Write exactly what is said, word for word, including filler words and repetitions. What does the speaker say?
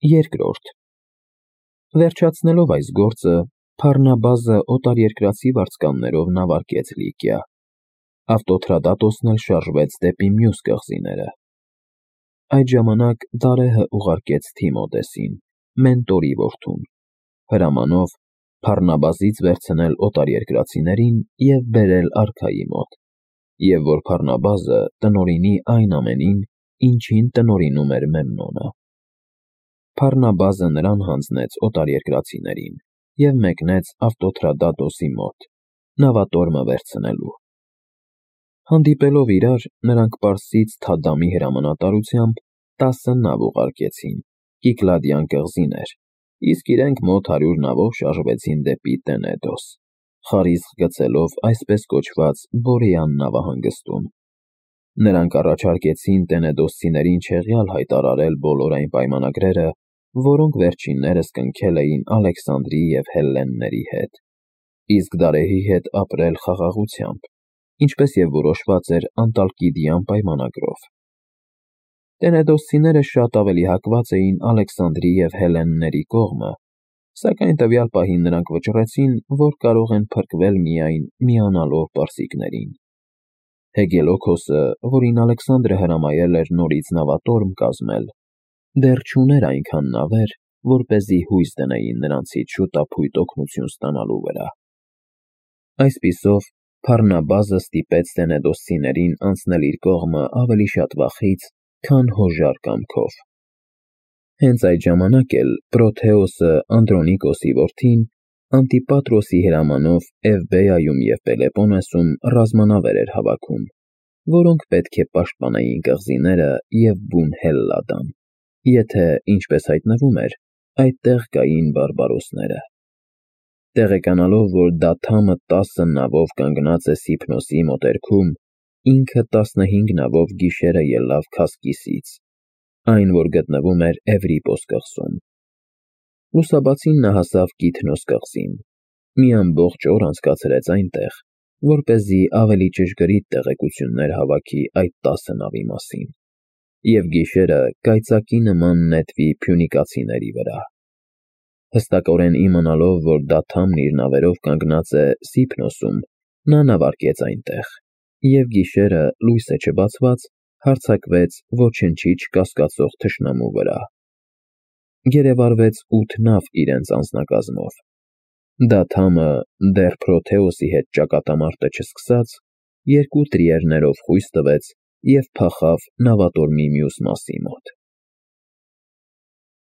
Երկրորդ Վերջացնելով այս գործը, Փառնաբազը օտարերկրացի վարձկաններով նավարկեց Լիկիա, ավտոթրադատոսն էլ շարժվեց դեպի մյուս կղզիները։ Այդ ժամանակ Դարեհը ուղարկեց Թիմոթեսին, մենտորի որդուն, հրամանով Փառնաբազից վերցնել օտարերկրացիներին և բերել արքայի մոտ, և որ Փառնաբազը տնօրինի այն ամենին, ինչին տնօրինում էր Մեմնոնը։ Փառնաբազը նրան հանձնեց օտարերկրացիներին և մեկնեց ավտոթրադատոսի մոտ, նավատորմը վերցնելու։ Հանդիպելով իրար, նրանք Պարսից Թադամի հրամանատարությամբ տասը նավ ուղարկեցին, Կիքլադյան կղզիներ, իսկ իրենք մոտ հարյուր նավով շարժվեցին դեպի Տենեդոս, խարիսկ գցելով այսպես կոչված Բորեան նավահանգստում։ Նրանք առաջարկեցին տենեդոսցիներին չեղյալ հայտարարել բոլոր այն պայմանագրերը, որոնք վերջիններս կնքել էին Ալեքսանդրի և հելլենների հետ, իսկ Դարեհի հետ ապրել խաղաղությամբ, ինչպես և որոշված էր Անտալկիդյան պայմանագրով։ Տենեդոսցիները շատ ավելի հակված էին Ալեքսանդրի և հելլենների կողմը, սակայն տվյալ պահին նրանք վճռեցին, որ կարող են փրկվել միայն միանալով պարսիկներին։ Հեգելոքոսը, որին Ալեքսանդրը հրամայել էր նորից նավատորմ կազմել, դեռ չուներ այնքան նավեր, որպեսզի հույս դնեին նրանցից շուտափույթ օգնություն ստանալու վրա։ Այսպիսով, Փառնաբազը ստիպեց տենեդոսցիներին անցնել իր կողմը ավելի շատ վախից, քան հոժար կամքով։ Հենց այդ ժամանակ էլ Պրոթեոսը Անդրոնիկոսի որդին Անտիպատրոսի հրամանով Էվբեայում և Պելեպոնեսում ռազմանավեր էր հավաքում, որոնք պետք է պաշտպանեին կղզիները և բուն Հելլադան, եթե, ինչպես հայտնվում էր, այդտեղ կային բարբարոսները։ Տեղեկանալով, որ Դաթամը տասը նավով կանգնած է Սիփնոսի մոտերքում, ինքը տասնհինգ նավով գիշերը ելավ Քասկիսից, այն, որ գտնվում էր Էվրիպոս կղզում։ Լուսաբացին նա հասավ Կիթնոս կղզին, մի ամբողջ օր անցկացրեց այնտեղ, որպեսզի ավելի ճշգրիտ տեղեկություններ հավաքի այդ տասը նավի մասին, և գիշերը կայծակի նման նետվի փյունիկացիների վրա։ Հստակորեն իմանալով, որ Դաթամն իր նավերով կանգնած է Սիփնոսում, նա նավարկեց այնտեղ, և գիշերը, լույսը չբացված, հարձակվեց ոչնչի չկասկածող թշնամու վրա։ Գերեվարվեց ութ նավ իրենց անձնակազմով։ Դաթամը, դեռ Պրոթեոսի հետ ճակատամարտը չսկսած, երկու տրիերներով խույս տվեց և փախավ նավատորմի մյուս մասի մոտ։